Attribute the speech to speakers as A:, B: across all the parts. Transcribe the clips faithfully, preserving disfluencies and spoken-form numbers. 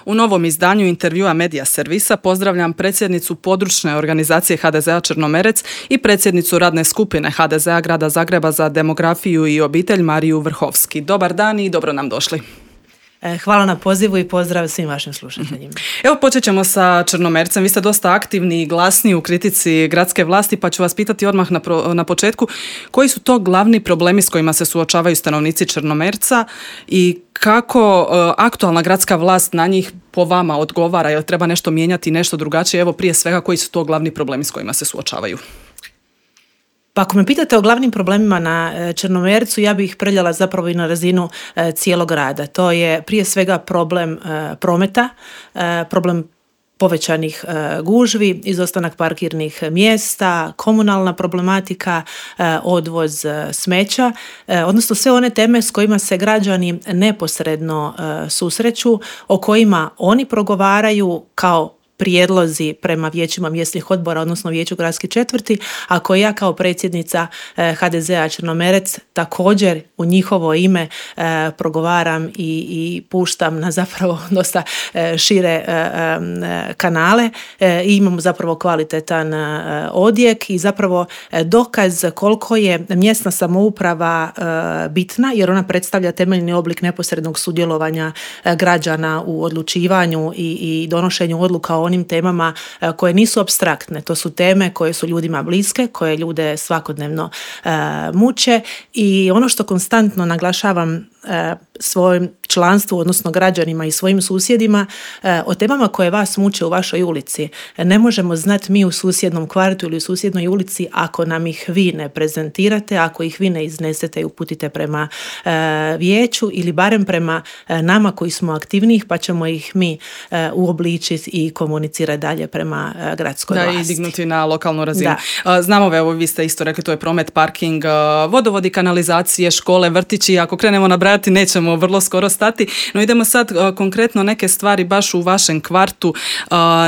A: U novom izdanju intervjua Medija servisa pozdravljam predsjednicu područne organizacije ha de zea Črnomerec i predsjednicu radne skupine ha de zea Grada Zagreba za demografiju i obitelj Mariju Vrhovski. Dobar dan i dobro nam došli.
B: Hvala na pozivu i pozdrav svim vašim slušateljima.
A: Evo, počet ćemo sa Črnomercem. Vi ste dosta aktivni i glasni u kritici gradske vlasti, pa ću vas pitati odmah na, pro, na početku koji su to glavni problemi s kojima se suočavaju stanovnici Črnomerca i kako uh, aktualna gradska vlast na njih po vama odgovara, jel treba nešto mijenjati, nešto drugačije? Evo, prije svega, koji su to glavni problemi s kojima se suočavaju?
B: Pa ako me pitate o glavnim problemima na Črnomercu, ja bih ih preljala zapravo i na razinu e, cijelog grada. To je prije svega problem e, prometa, e, problem povećanih e, gužvi, izostanak parkirnih mjesta, komunalna problematika, e, odvoz e, smeća, e, odnosno sve one teme s kojima se građani neposredno e, susreću, o kojima oni progovaraju kao prijedlozi prema vijećima mjesnih odbora, odnosno vijeću gradske četvrti, a koje ja kao predsjednica ha de zea Črnomerec također u njihovo ime e, progovaram i, i puštam na zapravo dosta e, šire e, e, kanale e, i imamo zapravo kvalitetan e, odjek i zapravo e, dokaz koliko je mjesna samouprava e, bitna, jer ona predstavlja temeljni oblik neposrednog sudjelovanja e, građana u odlučivanju i, i donošenju odluka o onim temama koje nisu apstraktne. To su teme koje su ljudima bliske, koje ljude svakodnevno e, muče i ono što konstantno naglašavam e, svojim članstvu, odnosno građanima i svojim susjedima, e, o temama koje vas muče u vašoj ulici. Ne možemo znati mi u susjednom kvartu ili u susjednoj ulici ako nam ih vi ne prezentirate, ako ih vi ne iznesete i uputite prema e, vijeću ili barem prema e, nama koji smo aktivniji, pa ćemo ih mi e, uobličiti i komunicirati dalje prema e, gradskoj
A: da,
B: vlasti.
A: Da, i dignuti na lokalnu razinu.
B: Da.
A: Znamo, evo, vi ste isto rekli, to je promet, parking, vodovodi, kanalizacije, škole, vrtići. Ako krenemo nabrajati, nećemo vrlo skoro stati. No idemo sad konkretno neke stvari baš u vašem kvartu,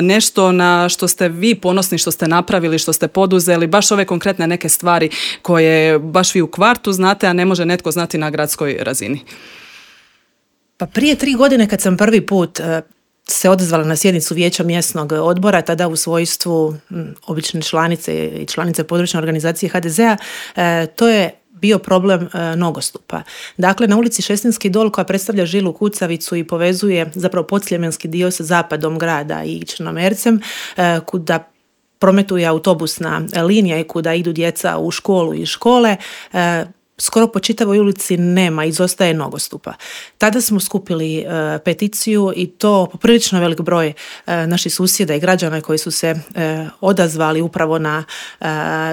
A: nešto na što ste vi ponosni, što ste napravili, što ste poduzeli, baš ove konkretne neke stvari koje baš vi u kvartu znate, a ne može netko znati na gradskoj razini.
B: Pa prije tri godine kad sam prvi put se odazvala na sjednicu vijeća mjesnog odbora, tada u svojstvu m, obične članice i članice područne organizacije ha de zea, e, to je bio problem e, nogostupa. Dakle, na ulici Šestinski dol, koja predstavlja žilu kucavicu i povezuje zapravo podsljemenski dio sa zapadom grada i Črnomercem, e, kuda prometuje autobusna linija i kuda idu djeca u školu i škole, e, skoro po čitavoj ulici nema, izostaje nogostupa. Tada smo skupili e, peticiju i to poprilično velik broj e, naših susjeda i građana koji su se e, odazvali upravo na e,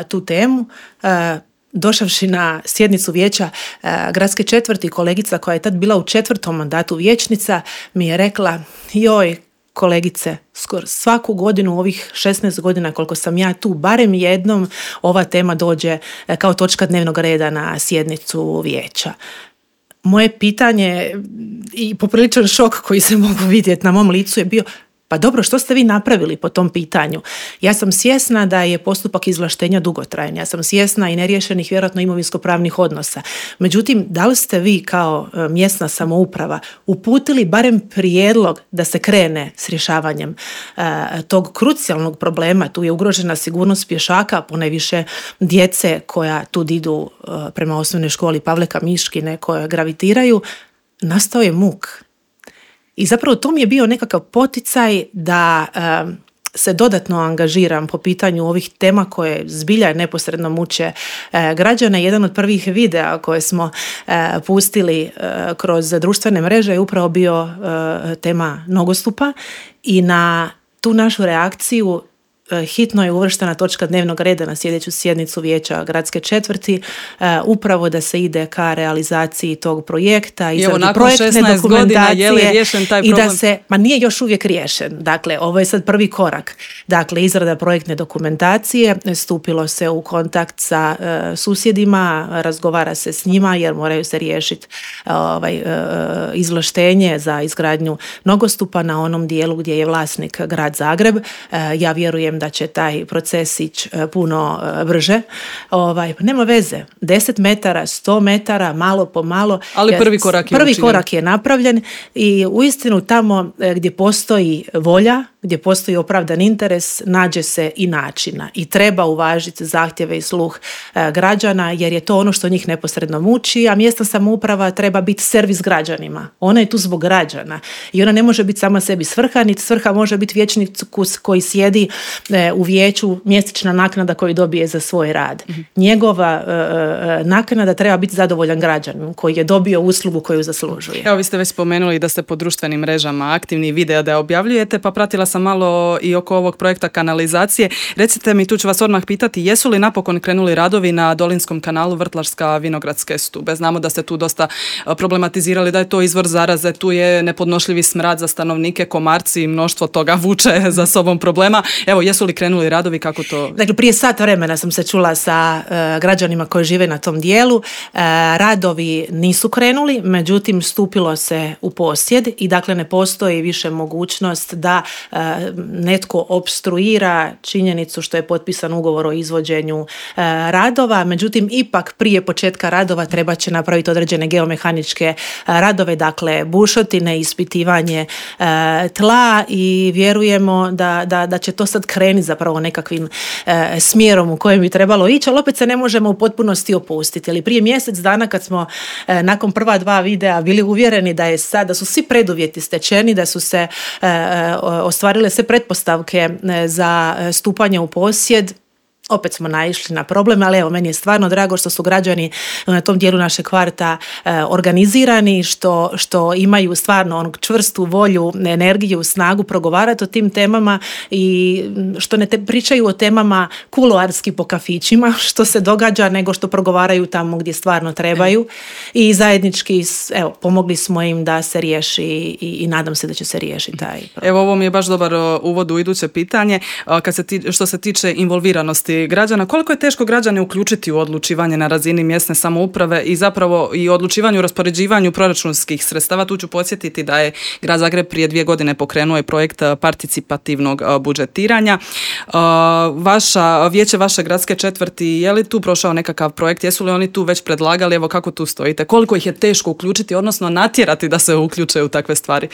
B: tu temu. E, Došavši na sjednicu vijeća e, gradske četvrti, kolegica koja je tad bila u četvrtom mandatu vijećnica mi je rekla: joj, kolegice, skoro svaku godinu u ovih šesnaest godina koliko sam ja tu, barem jednom ova tema dođe kao točka dnevnog reda na sjednicu vijeća. Moje pitanje i popriličan šok koji se mogu vidjeti na mom licu je bio: pa dobro, što ste vi napravili po tom pitanju? Ja sam svjesna da je postupak izvlaštenja dugotrajan, ja sam svjesna i neriješenih vjerojatno imovinsko-pravnih odnosa. Međutim, da li ste vi kao mjesna samouprava uputili barem prijedlog da se krene s rješavanjem e, tog krucijalnog problema? Tu je ugrožena sigurnost pješaka, ponajviše djece koja tu idu e, prema osnovnoj školi Pavleka Miškine, koje gravitiraju. Nastao je muk. I zapravo to mi je bio nekakav poticaj da um, se dodatno angažiram po pitanju ovih tema koje zbilja neposredno muče e, građane. Jedan od prvih videa koje smo e, pustili e, kroz društvene mreže je upravo bio e, tema nogostupa i na tu našu reakciju hitno je uvrštena točka dnevnog reda na sljedeću sjednicu vijeća gradske četvrti, uh, upravo da se ide ka realizaciji tog projekta, izradi projektne dokumentacije
A: je li riješen taj
B: i
A: problem?
B: da se, ma nije još uvijek riješen. Dakle, ovo je sad prvi korak. Dakle, izrada projektne dokumentacije, stupilo se u kontakt sa uh, susjedima, razgovara se s njima jer moraju se riješiti uh, ovaj, uh, izvlaštenje za izgradnju nogostupa na onom dijelu gdje je vlasnik grad Zagreb. Uh, ja vjerujem vjerujem da će taj proces ići puno brže. Ovaj, nema veze, deset metara, sto metara, malo po malo.
A: Ali prvi korak je
B: Prvi
A: učinjen.
B: korak je napravljen i uistinu tamo gdje postoji volja, gdje postoji opravdan interes, nađe se i načina. I treba uvažiti zahtjeve i sluh e, građana, jer je to ono što njih neposredno muči, a mjesna samouprava treba biti servis građanima. Ona je tu zbog građana i ona ne može biti sama sebi svrha, niti svrha može biti vijećnikus koji sjedi e, u vijeću, mjesečna naknada koju dobije za svoj rad. Mm-hmm. Njegova e, e, naknada treba biti zadovoljan građanin koji je dobio uslugu koju zaslužuje.
A: Evo, vi ste već spomenuli da ste po društvenim mrežama aktivni, videa da objavljujete, pa pratila sam malo i oko ovog projekta kanalizacije. Recite mi, tu ću vas odmah pitati, jesu li napokon krenuli radovi na Dolinskom kanalu Vrtlarska Vinogradske stube? Znamo da ste tu dosta problematizirali da je to izvor zaraze, tu je nepodnošljivi smrad za stanovnike, komarci i mnoštvo toga vuče za sobom problema. Evo, jesu li krenuli radovi, kako to?
B: Dakle, prije sat vremena sam se čula sa uh, građanima koji žive na tom dijelu. Uh, radovi nisu krenuli, međutim stupilo se u posjed i dakle ne postoji više mogućnost da uh, netko opstruira činjenicu što je potpisan ugovor o izvođenju uh, radova. Međutim, ipak prije početka radova treba će napraviti određene geomehaničke uh, radove, dakle bušotine, ispitivanje uh, tla i vjerujemo da, da, da će to sad krenuti zapravo nekakvim uh, smjerom u kojem bi trebalo ići, ali opet se ne možemo u potpunosti opustiti. Ali prije mjesec dana kad smo uh, nakon prva dva videa bili uvjereni da je sad, da su svi preduvjeti stečeni, da su se uh, ostvarile sve pretpostavke uh, za stupanje u posjed, opet smo naišli na problem, ali evo, meni je stvarno drago što su građani na tom dijelu našeg kvarta e, organizirani, što, što imaju stvarno onog čvrstu volju, energiju, snagu progovarati o tim temama i što ne te pričaju o temama kuloarski po kafićima, što se događa, nego što progovaraju tamo gdje stvarno trebaju i zajednički, evo, pomogli smo im da se riješi i, i nadam se da će se riješiti taj problem.
A: Evo, ovo mi je baš dobar uvod u iduće pitanje. Kad se ti, što se tiče involviranosti građana, koliko je teško građane uključiti u odlučivanje na razini mjesne samouprave i zapravo i odlučivanju u raspoređivanju proračunskih sredstava? Tu ću podsjetiti da je Grad Zagreb prije dvije godine pokrenuo je projekt participativnog budžetiranja. Vaša, vijeće vaše gradske četvrti, je li tu prošao nekakav projekt? Jesu li oni tu već predlagali? Evo, kako tu stojite? Koliko ih je teško uključiti, odnosno natjerati da se uključe u takve stvari?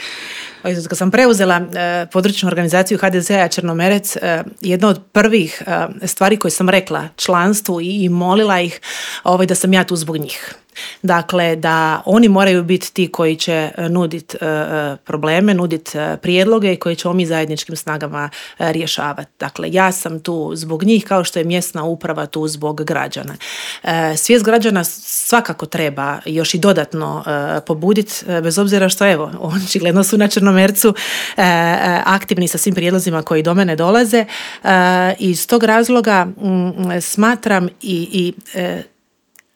B: Kad sam preuzela eh, područnu organizaciju ha de ze a Črnomerec, eh, jedna od prvih eh, stvari koje sam rekla članstvu i, i molila ih ovaj, da sam ja tu zbog njih. Dakle, da oni moraju biti ti koji će nuditi uh, probleme, nuditi uh, prijedloge i koji ćemo mi zajedničkim snagama uh, rješavati. Dakle, ja sam tu zbog njih kao što je mjesna uprava tu zbog građana. Uh, svijest građana svakako treba još i dodatno uh, pobuditi, uh, bez obzira što, evo, očigledno su na Črnomercu uh, aktivni sa svim prijedlozima koji do mene dolaze. Uh, iz tog razloga um, smatram i, i uh,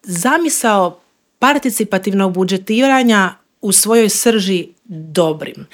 B: zamisao participativnog budžetiranja u svojoj srži dobrim.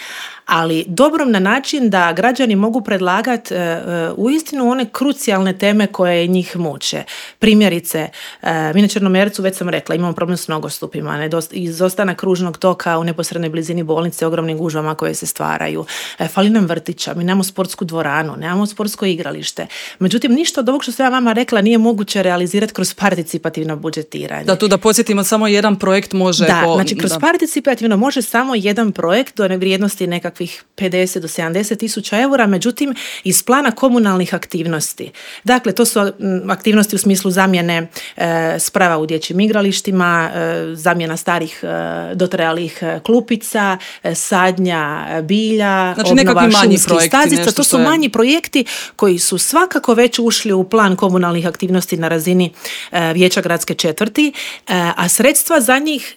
B: Ali dobrom na način da građani mogu predlagati e, uistinu one krucijalne teme koje njih muče. Primjerice, e, mi na Črnomercu, već sam rekla, imamo problem s nogostupima, nedost, izostanak kružnog toka u neposrednoj blizini bolnice, ogromnim gužvama koje se stvaraju. E, fali nam vrtića, mi nemamo sportsku dvoranu, nemamo sportsko igralište. Međutim, ništa od ovog što sam ja vama rekla nije moguće realizirati kroz participativno budžetiranje.
A: Da, tu da podsjetimo, samo jedan projekt može...
B: Da,
A: po,
B: znači kroz
A: da.
B: participativno može samo jedan projekt do vrijednosti nekakvih pedeset do sedamdeset tisuća eura, međutim iz plana komunalnih aktivnosti. Dakle, to su aktivnosti u smislu zamjene e, sprava u dječjim igralištima, e, zamjena starih e, dotrajalih klupica, e, sadnja bilja,
A: znači,
B: obnova šumskih
A: projekti,
B: stazica. To su
A: je...
B: manji projekti koji su svakako već ušli u plan komunalnih aktivnosti na razini e, vijeća gradske četvrti, e, a sredstva za njih,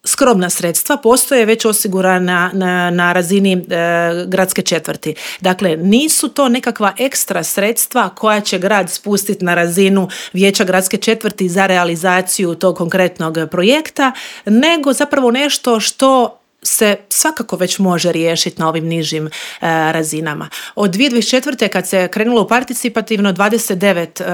B: skromna sredstva, postoje već osigurana na, na razini e, gradske četvrti. Dakle, nisu to nekakva ekstra sredstva koja će grad spustiti na razinu vijeća gradske četvrti za realizaciju tog konkretnog projekta, nego zapravo nešto što se svakako već može riješiti na ovim nižim e, razinama. Od dvije tisuće dvadeset četvrte kad se krenulo u participativno, dvadeset devet e,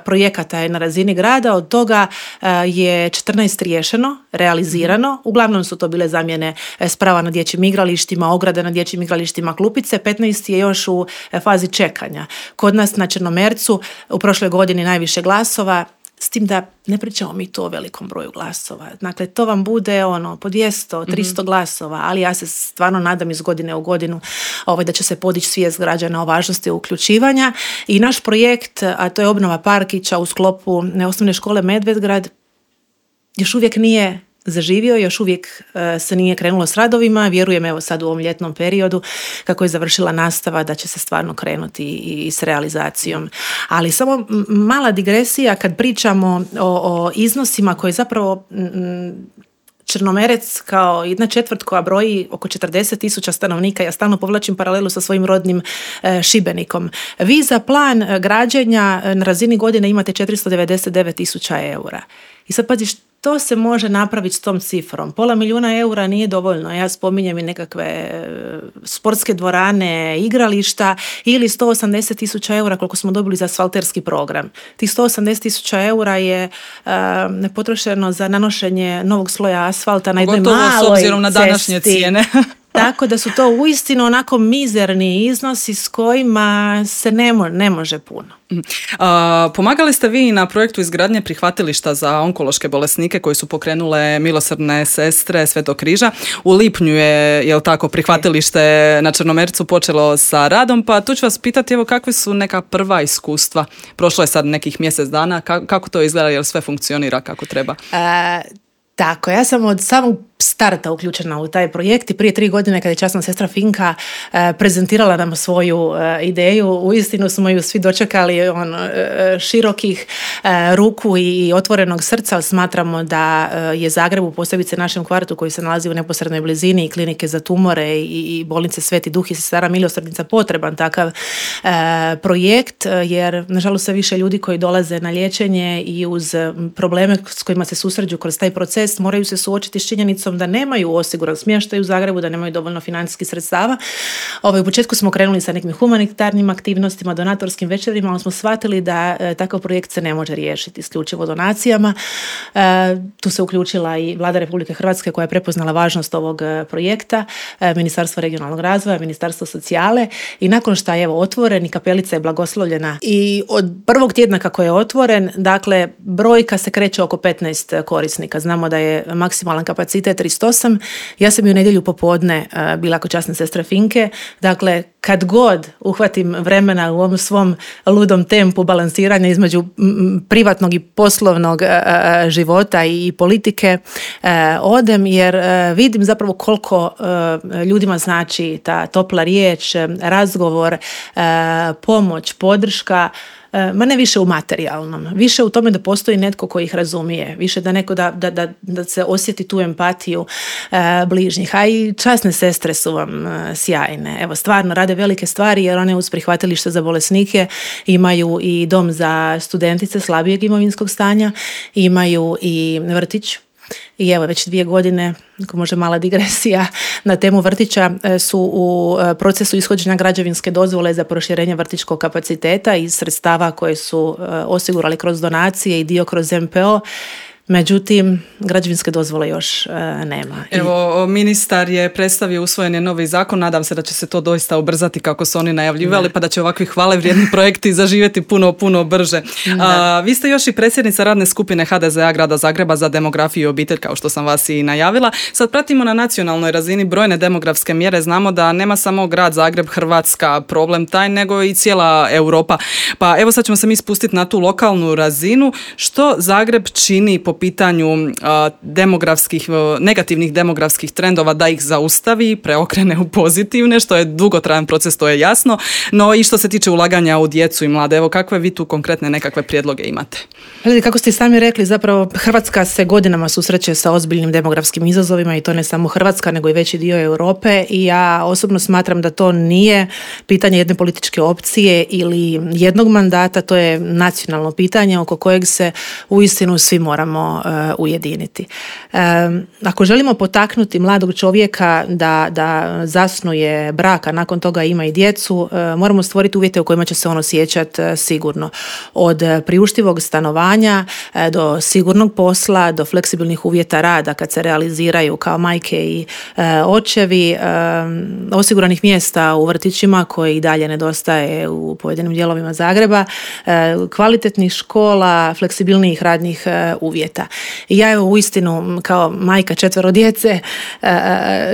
B: projekata je na razini grada, od toga e, je četrnaest riješeno, realizirano, uglavnom su to bile zamjene sprava na dječjim igralištima, ograda na dječjim igralištima, klupice, petnaest je još u fazi čekanja. Kod nas na Črnomercu u prošloj godini najviše glasova, s tim da ne pričamo mi to o velikom broju glasova. Dakle, to vam bude ono po dvjesto, tristo mm-hmm. glasova, ali ja se stvarno nadam iz godine u godinu ovaj, da će se podići svijest građana o važnosti uključivanja. I naš projekt, a to je obnova parkića u sklopu osnovne škole Medvedgrad, još uvijek nije zaživio, još uvijek uh, se nije krenulo s radovima. Vjerujem evo sad u ovom ljetnom periodu kako je završila nastava da će se stvarno krenuti i, i s realizacijom. Ali samo mala digresija kad pričamo o, o iznosima koje zapravo m, Črnomerec kao jedna četvrt koja broji oko četrdeset tisuća stanovnika, ja stalno povlačim paralelu sa svojim rodnim e, Šibenikom. Vi za plan građenja na razini godine imate četiristo devedeset devet tisuća eura. I sad pazi, što se može napraviti s tom cifrom? Pola milijuna eura nije dovoljno. Ja spominjem i nekakve sportske dvorane, igrališta ili sto osamdeset tisuća eura koliko smo dobili za asfalterski program. Tih sto osamdeset tisuća eura je uh, potrošeno za nanošenje novog sloja asfalta na jednoj maloj cesti. S obzirom na današnje cijene. Tako da su to uistinu onako mizerni iznosi s kojima se ne, mo- ne može puno.
A: A, pomagali ste vi na projektu izgradnje prihvatilišta za onkološke bolesnike koji su pokrenule Milosrdne sestre Svetog križa. U lipnju je, jel tako, prihvatilište na Črnomercu počelo sa radom, pa tu ću vas pitati evo kakve su neka prva iskustva. Prošlo je sad nekih mjesec dana, kako, kako to izgleda, jel sve funkcionira kako treba?
B: A, tako, ja sam od samog starta uključena u taj projekt i prije tri godine kada je časna sestra Finka e, prezentirala nam svoju e, ideju, uistinu smo ju svi dočekali on, e, širokih e, ruku i otvorenog srca. Smatramo da e, je Zagrebu, posebice našem kvartu koji se nalazi u neposrednoj blizini i klinike za tumore i, i bolnice Sveti Duh i Sestara Milosrdnica potreban takav e, projekt, jer nažalost sve više ljudi koji dolaze na liječenje i uz probleme s kojima se susreću kroz taj proces moraju se suočiti s činjenicom da nemaju osiguran smještaj u Zagrebu, da nemaju dovoljno financijskih sredstava. Ovaj, u početku smo krenuli sa nekim humanitarnim aktivnostima, donatorskim večerima, ali smo shvatili da e, takav projekt se ne može riješiti isključivo donacijama. E, tu se uključila i Vlada Republike Hrvatske koja je prepoznala važnost ovog e, projekta, e, Ministarstvo regionalnog razvoja, Ministarstvo socijale i nakon što je evo otvoren i kapelica je blagoslovljena i od prvog tjedna kako je otvoren, dakle brojka se kreće oko petnaest korisnika. Znamo da je maksimalan kapacitet tristo osam. Ja sam ju nedjelju popodne uh, bila kod časne sestre Finke. Dakle, kad god uhvatim vremena u ovom svom ludom tempu balansiranja između m, privatnog i poslovnog uh, života i, i politike, uh, odem jer uh, vidim zapravo koliko uh, ljudima znači ta topla riječ, razgovor, uh, pomoć, podrška, ma ne više u materijalnom, više u tome da postoji netko koji ih razumije, više da neko da, da, da, da se osjeti tu empatiju e, bližnjih, a i časne sestre su vam e, sjajne. Evo, stvarno rade velike stvari jer one uz prihvatilište za bolesnike imaju i dom za studentice slabijeg imovinskog stanja, imaju i vrtić. I evo već dvije godine, ako može mala digresija, na temu vrtića su u procesu ishođenja građevinske dozvole za proširenje vrtićkog kapaciteta iz sredstava koje su osigurali kroz donacije i dio kroz M P O. Međutim, građevinske dozvole još e, nema.
A: Evo, ministar je predstavio, usvojen je novi zakon, nadam se da će se to doista ubrzati kako su oni najavljivali, pa da će ovakvi hvale vrijedni projekti zaživjeti puno, puno brže. A, vi ste još i predsjednica radne skupine H D Z A Grada Zagreba za demografiju i obitelj, kao što sam vas i najavila. Sad pratimo na nacionalnoj razini brojne demografske mjere, znamo da nema samo grad Zagreb, Hrvatska problem taj, nego i cijela Europa. Pa evo sad ćemo se mi spustiti na tu lokalnu razinu. Što Zagreb čini po pitanju uh, demografskih, uh, negativnih demografskih trendova da ih zaustavi, preokrene u pozitivne, što je dugotrajan proces, to je jasno, no i što se tiče ulaganja u djecu i mlade. Evo, kakve vi tu konkretne nekakve prijedloge imate?
B: Kako ste sami rekli, zapravo Hrvatska se godinama susreće sa ozbiljnim demografskim izazovima i to ne samo Hrvatska, nego i veći dio Europe i ja osobno smatram da to nije pitanje jedne političke opcije ili jednog mandata, to je nacionalno pitanje oko kojeg se uistinu svi moramo možemo uh, ujediniti. Um, ako želimo potaknuti mladog čovjeka da, da zasnuje brak, a nakon toga ima i djecu, uh, moramo stvoriti uvjete u kojima će se on osjećati uh, sigurno. Od uh, priuštivog stanovanja uh, do sigurnog posla, do fleksibilnih uvjeta rada kad se realiziraju kao majke i uh, očevi, um, osiguranih mjesta u vrtićima koji i dalje nedostaje u pojedinim dijelovima Zagreba, uh, kvalitetnih škola, fleksibilnijih radnih uh, uvjeta. I ja evo uistinu kao majka četvero djece uh,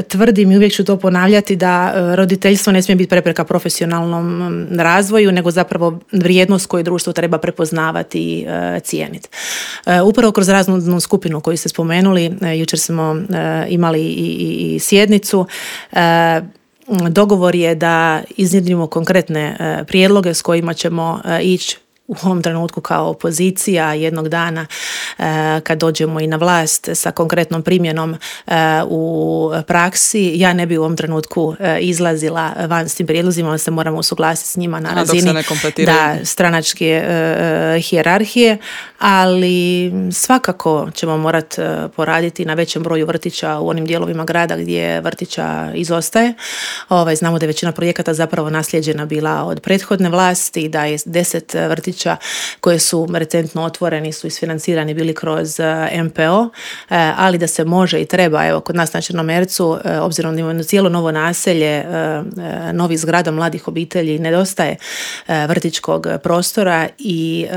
B: tvrdim i uvijek ću to ponavljati da uh, roditeljstvo ne smije biti prepreka profesionalnom um, razvoju, nego zapravo vrijednost koju društvo treba prepoznavati i uh, cijeniti. Uh, upravo kroz raznu skupinu koju ste spomenuli, uh, jučer smo uh, imali i, i, i sjednicu, uh, dogovor je da iznjedrimo konkretne uh, prijedloge s kojima ćemo uh, ići u ovom trenutku kao opozicija jednog dana kad dođemo i na vlast sa konkretnom primjenom u praksi. Ja ne bi u ovom trenutku izlazila van s tim prijedlozima, se moramo usuglasiti s njima na razini da, stranačke hijerarhije, ali svakako ćemo morati poraditi na većem broju vrtića u onim dijelovima grada gdje vrtića izostaje. Ovaj, znamo da je većina projekata zapravo nasljeđena bila od prethodne vlasti, da je deset vrtića koje su recentno otvoreni, su isfinancirani bili kroz M P O, ali da se može i treba, evo kod nas na Črnomercu, obzirom da imamo cijelo novo naselje, novih zgrada mladih obitelji, nedostaje vrtićkog prostora i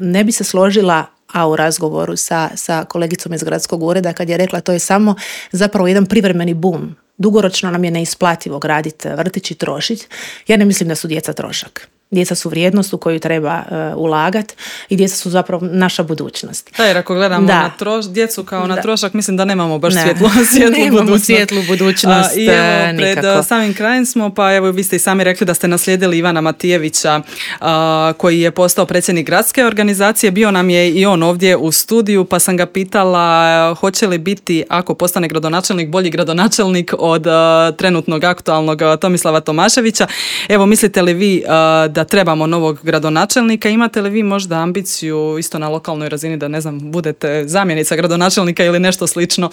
B: ne bi se složila, a u razgovoru sa, sa kolegicom iz gradskog ureda kad je rekla to je samo zapravo jedan privremeni bum. Dugoročno nam je neisplativo graditi vrtić i trošiti. Ja ne mislim da su djeca trošak. Djeca su vrijednost u koju treba uh, ulagati i djeca su zapravo naša budućnost.
A: Da, jer ako gledamo
B: da.
A: na troš, djecu kao na
B: da.
A: trošak, mislim da nemamo baš
B: ne.
A: svjetlu, svjetlu
B: nemamo
A: budućnost.
B: svjetlu budućnost.
A: A, I evo, pred
B: nikako.
A: samim krajem smo, pa evo vi ste i sami rekli da ste naslijedili Ivana Matijevića, a, koji je postao predsjednik gradske organizacije. Bio nam je i on ovdje u studiju, pa sam ga pitala hoće li biti, ako postane gradonačelnik, bolji gradonačelnik od a, trenutnog aktualnog a, Tomislava Tomaševića. Evo, mislite li vi a, da trebamo novog gradonačelnika? Imate li vi možda ambiciju isto na lokalnoj razini da, ne znam, budete zamjenica gradonačelnika ili nešto slično?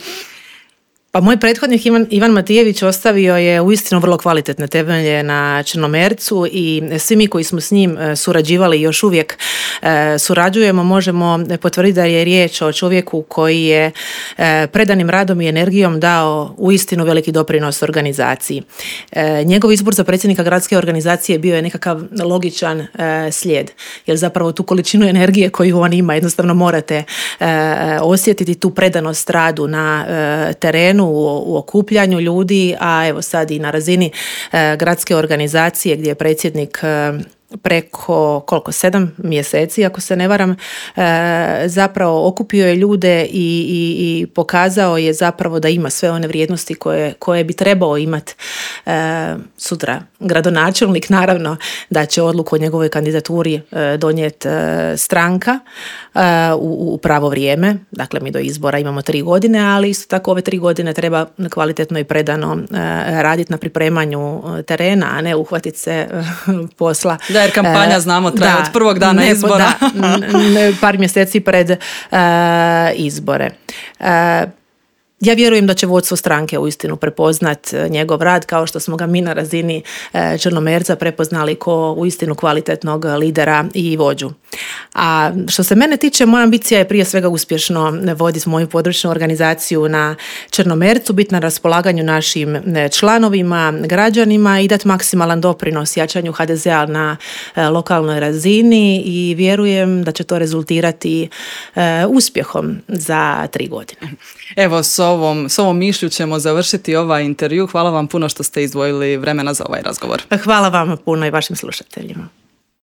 B: Pa moj prethodnik Ivan, Ivan Matijević ostavio je uistinu vrlo kvalitetne temelje na Črnomercu i svi mi koji smo s njim surađivali i još uvijek surađujemo, možemo potvrditi da je riječ o čovjeku koji je predanim radom i energijom dao uistinu veliki doprinos organizaciji. Njegov izbor za predsjednika gradske organizacije bio je nekakav logičan slijed, jer zapravo tu količinu energije koju on ima jednostavno morate osjetiti, tu predanost radu na terenu, u, u okupljanju ljudi, a evo sad i na razini e, gradske organizacije gdje je predsjednik e, preko koliko, sedam mjeseci, ako se ne varam, e, zapravo okupio je ljude i, i, i pokazao je zapravo da ima sve one vrijednosti koje, koje bi trebao imati e, sutra. Gradonačelnik, naravno da će odluku o njegovoj kandidaturi e, donijeti e, stranka e, u, u pravo vrijeme. Dakle, mi do izbora imamo tri godine, ali isto tako ove tri godine treba kvalitetno i predano e, raditi na pripremanju terena, a ne uhvatiti se e, posla.
A: Da, jer kampanja, znamo, traje da, od prvog dana ne, izbora.
B: Da, ne, par mjeseci pred uh, izbore. Uh, Ja vjerujem da će vodstvo stranke uistinu prepoznat njegov rad kao što smo ga mi na razini Črnomerca prepoznali ko uistinu kvalitetnog lidera i vođu. A što se mene tiče, moja ambicija je prije svega uspješno voditi moju područnu organizaciju na Črnomercu, biti na raspolaganju našim članovima, građanima i dati maksimalan doprinos jačanju ha de zea na lokalnoj razini i vjerujem da će to rezultirati uspjehom za tri godine.
A: Evo, s ovom, s ovom mišlju ćemo završiti ovaj intervju. Hvala vam puno što ste izdvojili vremena za ovaj razgovor.
B: Hvala vam puno i vašim slušateljima.